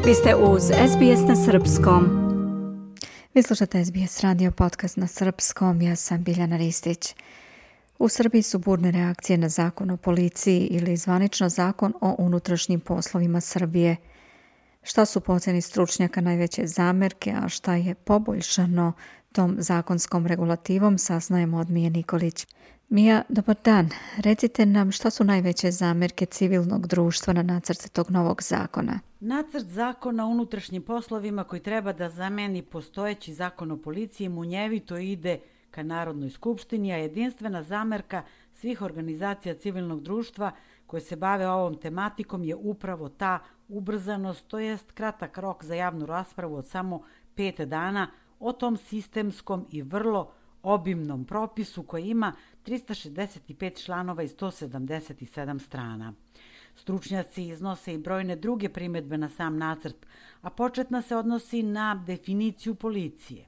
Vi ste uz SBS na Srpskom. Vi slušate SBS radio podcast na Srpskom, ja sam Biljana Ristić. U Srbiji su burne reakcije na zakon o policiji ili zvanično zakon o unutrašnjim poslovima Srbije. Šta su po ocjeni stručnjaka najveće zamerke, a šta je poboljšano tom zakonskom regulativom, saznajemo od Mije Nikolić. Mija, dobar dan. Recite nam šta su najveće zamerke civilnog društva na nacrt tog novog zakona. Nacrt zakona o unutrašnjim poslovima koji treba da zameni postojeći zakon o policiji munjevito ide ka Narodnoj skupštini, a jedinstvena zamerka svih organizacija civilnog društva koje se bave ovom tematikom je upravo ta ubrzanost, to jest kratak rok za javnu raspravu od samo 5 dana o tom sistemskom i vrlo obimnom propisu koji ima 365 članova i 177 strana. Stručnjaci iznose i brojne druge primedbe na sam nacrt, a početna se odnosi na definiciju policije.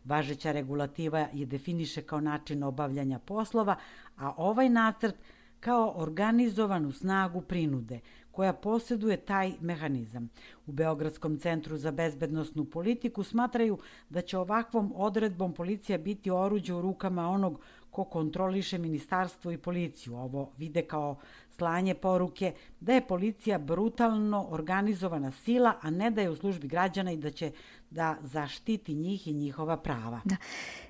Važeća regulativa je definiše kao način obavljanja poslova, a ovaj nacrt kao organizovanu snagu prinude, koja posjeduje taj mehanizam. U Beogradskom centru za bezbednosnu politiku smatraju da će ovakvom odredbom policija biti oruđe u rukama onog ko kontroliše ministarstvo i policiju. Ovo vide kao slanje poruke da je policija brutalno organizovana sila, a ne da je u službi građana i da će da zaštiti njih i njihova prava. Da.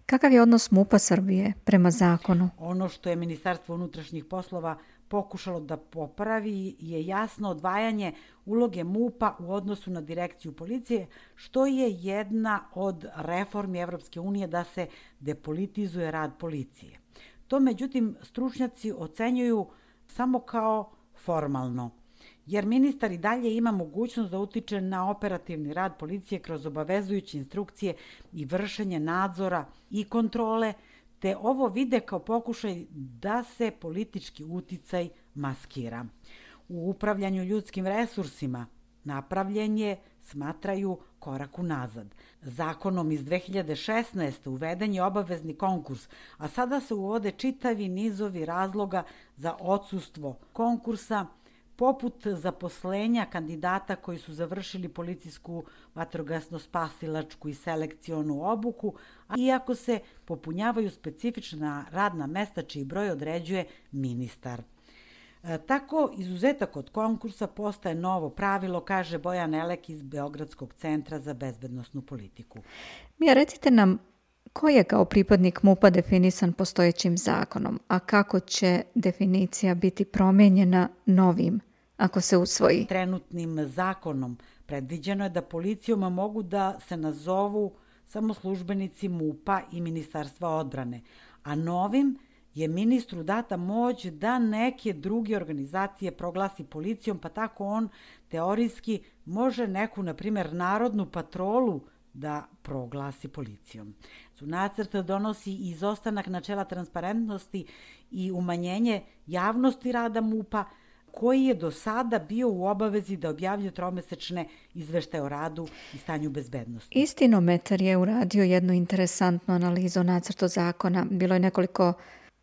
Kakav je odnos MUP-a Srbije prema zakonu? Ono što je Ministarstvo unutrašnjih poslova pokušalo da popravi je jasno odvajanje uloge MUP-a u odnosu na direkciju policije, što je jedna od reformi Evropske unije da se depolitizuje rad policije. To, međutim, stručnjaci ocenjuju samo kao formalno, jer ministar i dalje ima mogućnost da utiče na operativni rad policije kroz obavezujuće instrukcije i vršenje nadzora i kontrole, te ovo vide kao pokušaj da se politički uticaj maskira. U upravljanju ljudskim resursima napravljen je, smatraju, korak unazad. Zakonom iz 2016. uveden je obavezni konkurs, a sada se uvode čitavi nizovi razloga za odsustvo konkursa, poput zaposlenja kandidata koji su završili policijsku, vatrogasno-spasilačku i selekcionu obuku, a iako se popunjavaju specifična radna mesta čiji broj određuje ministar. Tako, izuzetak od konkursa postaje novo pravilo, kaže Bojan Elek iz Beogradskog centra za bezbednosnu politiku. Mija, recite nam ko je kao pripadnik MUP-a definisan postojećim zakonom, a kako će definicija biti promijenjena novim ako se usvoji? Trenutnim zakonom predviđeno je da policijom mogu da se nazovu samo službenici MUP-a i Ministarstva odbrane, a novim je ministru data moć da neke druge organizacije proglasi policijom, pa tako on teorijski može neku, na primjer, narodnu patrolu da proglasi policijom. Nacrt donosi izostanak načela transparentnosti i umanjenje javnosti rada MUP-a, koji je do sada bio u obavezi da objavljuje tromesečne izveštaje o radu i stanju bezbednosti. Istinometar je uradio jednu interesantnu analizu nacrta zakona. Bilo je nekoliko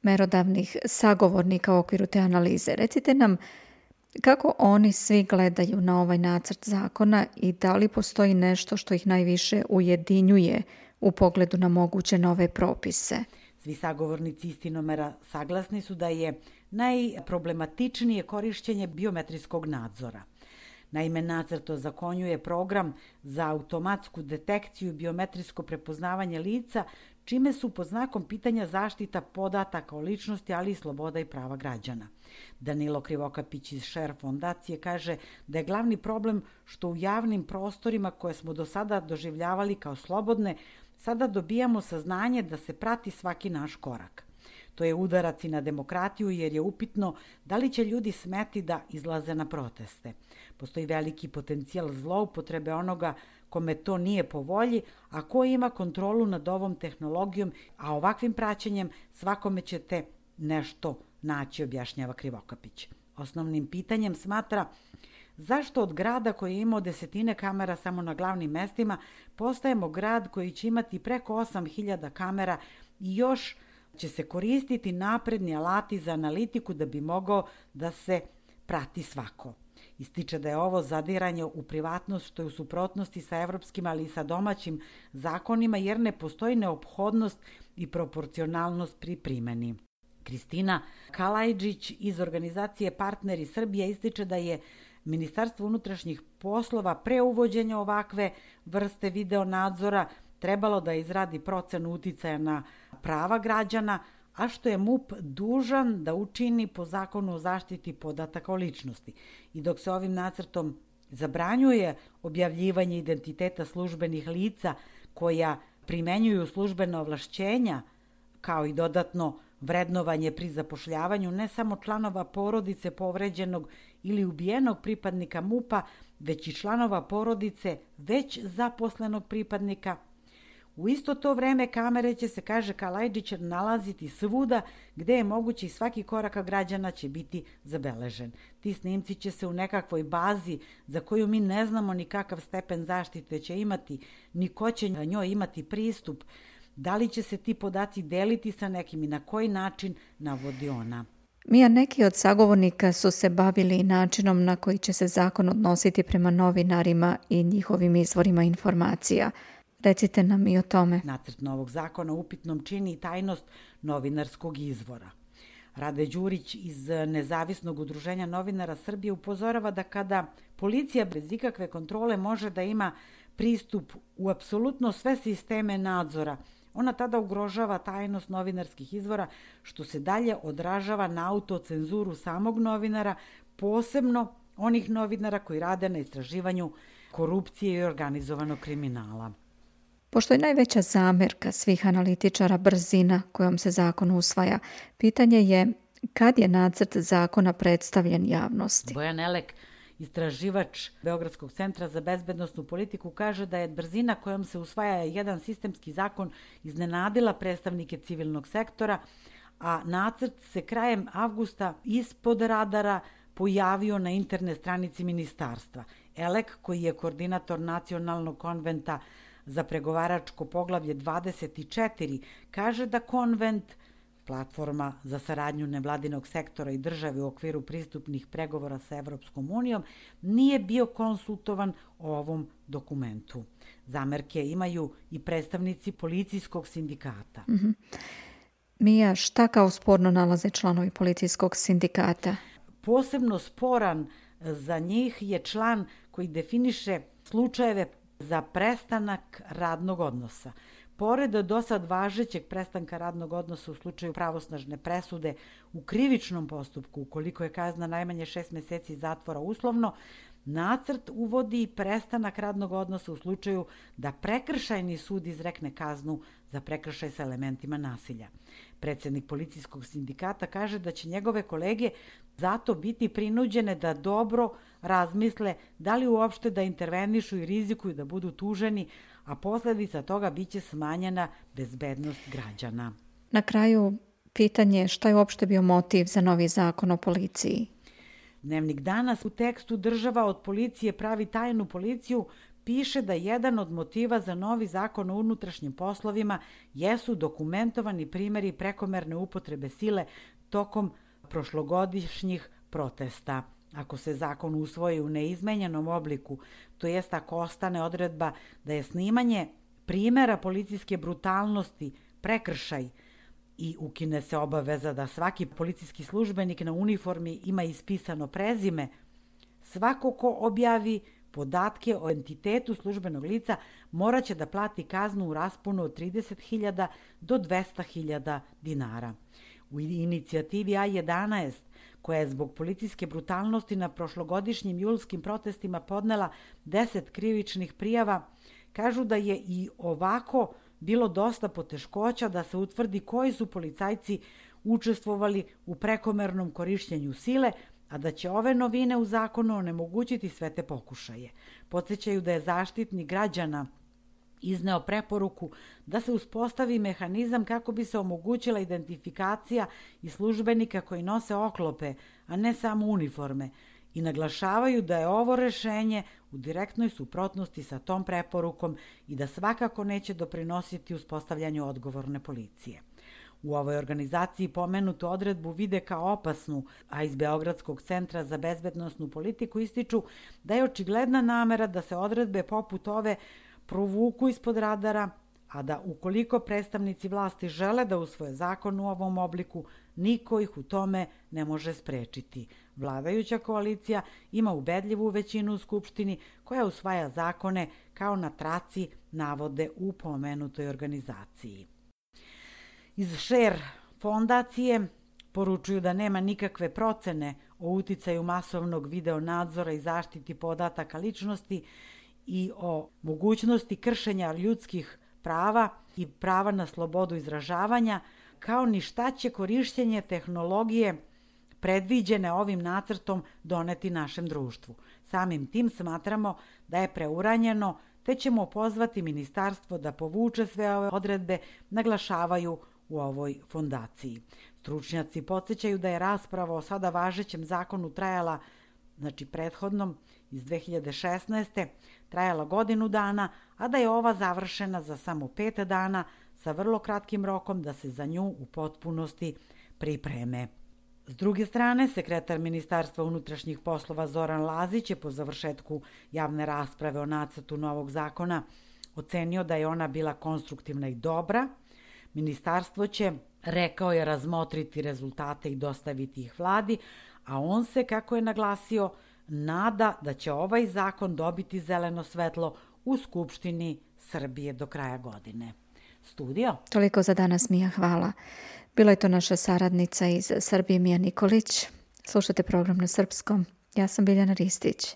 merodavnih sagovornika u okviru te analize. Recite nam kako oni svi gledaju na ovaj nacrt zakona i da li postoji nešto što ih najviše ujedinjuje u pogledu na moguće nove propise. Svi sagovornici Istinomera saglasni su da je najproblematičnije korišćenje biometrijskog nadzora. Naime, nacrt ozakonjuje program za automatsku detekciju i biometrijsko prepoznavanje lica, čime su pod znakom pitanja zaštita podataka o ličnosti, ali i sloboda i prava građana. Danilo Krivokapić iz Share fondacije kaže da je glavni problem što u javnim prostorima koje smo do sada doživljavali kao slobodne, sada dobijamo saznanje da se prati svaki naš korak. To je udarac i na demokratiju jer je upitno da li će ljudi smeti da izlaze na proteste. Postoji veliki potencijal zloupotrebe onoga kome to nije po volji, a ko ima kontrolu nad ovom tehnologijom, a ovakvim praćenjem svakome ćete nešto naći, objašnjava Krivokapić. Osnovnim pitanjem smatra zašto od grada koji je imao desetine kamera samo na glavnim mestima postajemo grad koji će imati preko 8.000 kamera i još će se koristiti napredni alati za analitiku da bi mogao da se prati svako. Ističe da je ovo zadiranje u privatnost što je u suprotnosti sa evropskim, ali i sa domaćim zakonima, jer ne postoji neophodnost i proporcionalnost pri primeni. Kristina Kalajđić iz organizacije Partneri Srbije ističe da je Ministarstvo unutrašnjih poslova pre uvođenja ovakve vrste video nadzora trebalo da izradi procenu uticaja na prava građana, a što je MUP dužan da učini po zakonu o zaštiti podataka o ličnosti. I dok se ovim nacrtom zabranjuje objavljivanje identiteta službenih lica koja primenjuju službena ovlašćenja, kao i dodatno vrednovanje pri zapošljavanju ne samo članova porodice povređenog ili ubijenog pripadnika MUP-a, već i članova porodice već zaposlenog pripadnika. U isto to vreme kamere će se, kaže Kalajđić, nalaziti svuda gde je moguće i svaki korak građana će biti zabeležen. Ti snimci će se u nekakvoj bazi za koju mi ne znamo ni kakav stepen zaštite će imati, ni ko će njoj imati pristup. Da li će se ti podaci deliti sa nekim i na koji način, navodi ona. Mija, neki od sagovornika su se bavili načinom na koji će se zakon odnositi prema novinarima i njihovim izvorima informacija. Recite nam i o tome. Nacrt novog zakona upitnom čini tajnost novinarskog izvora. Rade Đurić iz Nezavisnog udruženja novinara Srbije upozorava da kada policija bez ikakve kontrole može da ima pristup u apsolutno sve sisteme nadzora, ona tada ugrožava tajnost novinarskih izvora, što se dalje odražava na autocenzuru samog novinara, posebno onih novinara koji rade na istraživanju korupcije i organizovanog kriminala. Pošto je najveća zamerka svih analitičara brzina kojom se zakon usvaja, pitanje je kad je nacrt zakona predstavljen javnosti. Bojan Elek, istraživač Beogradskog centra za bezbednosnu politiku, kaže da je brzina kojom se usvaja jedan sistemski zakon iznenadila predstavnike civilnog sektora, a nacrt se krajem avgusta ispod radara pojavio na internet stranici ministarstva. Elek, koji je koordinator Nacionalnog konventa za pregovaračko poglavlje 24, kaže da konvent, platforma za saradnju nevladinog sektora i države u okviru pristupnih pregovora sa Evropskom unijom, nije bio konsultovan o ovom dokumentu. Zamerke imaju i predstavnici policijskog sindikata. Mija, šta kao sporno nalaze članovi policijskog sindikata? Posebno sporan za njih je član koji definiše slučajeve za prestanak radnog odnosa. Pored do sad važećeg prestanka radnog odnosa u slučaju pravosnažne presude u krivičnom postupku, ukoliko je kazna najmanje 6 meseci zatvora uslovno, nacrt uvodi prestanak radnog odnosa u slučaju da prekršajni sud izrekne kaznu za prekršaj sa elementima nasilja. Predsednik policijskog sindikata kaže da će njegove kolege zato biti prinuđene da dobro razmisle da li uopšte da intervenišu i rizikuju da budu tuženi, a posledica toga biće smanjena bezbednost građana. Na kraju, pitanje je šta je uopšte bio motiv za novi zakon o policiji? Dnevnik Danas u tekstu Država od policije pravi tajnu policiju piše da jedan od motiva za novi zakon o unutrašnjim poslovima jesu dokumentovani primjeri prekomerne upotrebe sile tokom prošlogodišnjih protesta. Ako se zakon usvoji u neizmenjenom obliku, to jest ako ostane odredba da je snimanje primjera policijske brutalnosti prekršaj i ukine se obaveza da svaki policijski službenik na uniformi ima ispisano prezime, svako ko objavi podatke o entitetu službenog lica moraće da plati kaznu u rasponu od 30.000 do 200.000 dinara. U inicijativi A11, koja je zbog policijske brutalnosti na prošlogodišnjim julskim protestima podnela 10 krivičnih prijava, kažu da je i ovako bilo dosta poteškoća da se utvrdi koji su policajci učestvovali u prekomernom korišćenju sile, a da će ove novine u zakonu onemogućiti sve te pokušaje. Podsećaju da je Zaštitnik građana izneo preporuku da se uspostavi mehanizam kako bi se omogućila identifikacija i službenika koji nose oklope, a ne samo uniforme, i naglašavaju da je ovo rešenje u direktnoj suprotnosti sa tom preporukom i da svakako neće doprinositi uspostavljanju odgovorne policije. U ovoj organizaciji pomenutu odredbu vide kao opasnu, a iz Beogradskog centra za bezbednosnu politiku ističu da je očigledna namera da se odredbe poput ove provuku ispod radara, a da ukoliko predstavnici vlasti žele da usvoje zakon u ovom obliku, niko ih u tome ne može sprečiti. Vladajuća koalicija ima ubedljivu većinu u Skupštini koja usvaja zakone kao na traci navode u pomenutoj organizaciji. Iz Share fondacije poručuju da nema nikakve procene o uticaju masovnog videonadzora i zaštiti podataka ličnosti i o mogućnosti kršenja ljudskih prava i prava na slobodu izražavanja, kao ni šta će korišćenje tehnologije predviđene ovim nacrtom doneti našem društvu. Samim tim smatramo da je preuranjeno, te ćemo pozvati ministarstvo da povuče sve ove odredbe, naglašavaju u ovoj fondaciji. Stručnjaci podsjećaju da je rasprava o sada važećem zakonu trajala, prethodnom iz 2016. trajala godinu dana, a da je ova završena za samo 5 dana sa vrlo kratkim rokom da se za nju u potpunosti pripreme. S druge strane, sekretar Ministarstva unutrašnjih poslova Zoran Lazić je po završetku javne rasprave o nacrtu novog zakona ocenio da je ona bila konstruktivna i dobra. Ministarstvo će, rekao je, razmotriti rezultate i dostaviti ih vladi, a on se, kako je naglasio, nada da će ovaj zakon dobiti zeleno svetlo u Skupštini Srbije do kraja godine. Studio? Toliko za danas, Mija, hvala. Bila je to naša saradnica iz Srbije, Mija Nikolić. Slušate program na srpskom. Ja sam Biljana Ristić.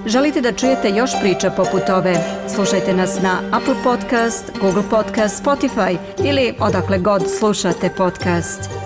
Želite da čujete još priča poput ove? Slušajte nas na Apple Podcast, Google Podcast, Spotify ili odakle god slušate podcast.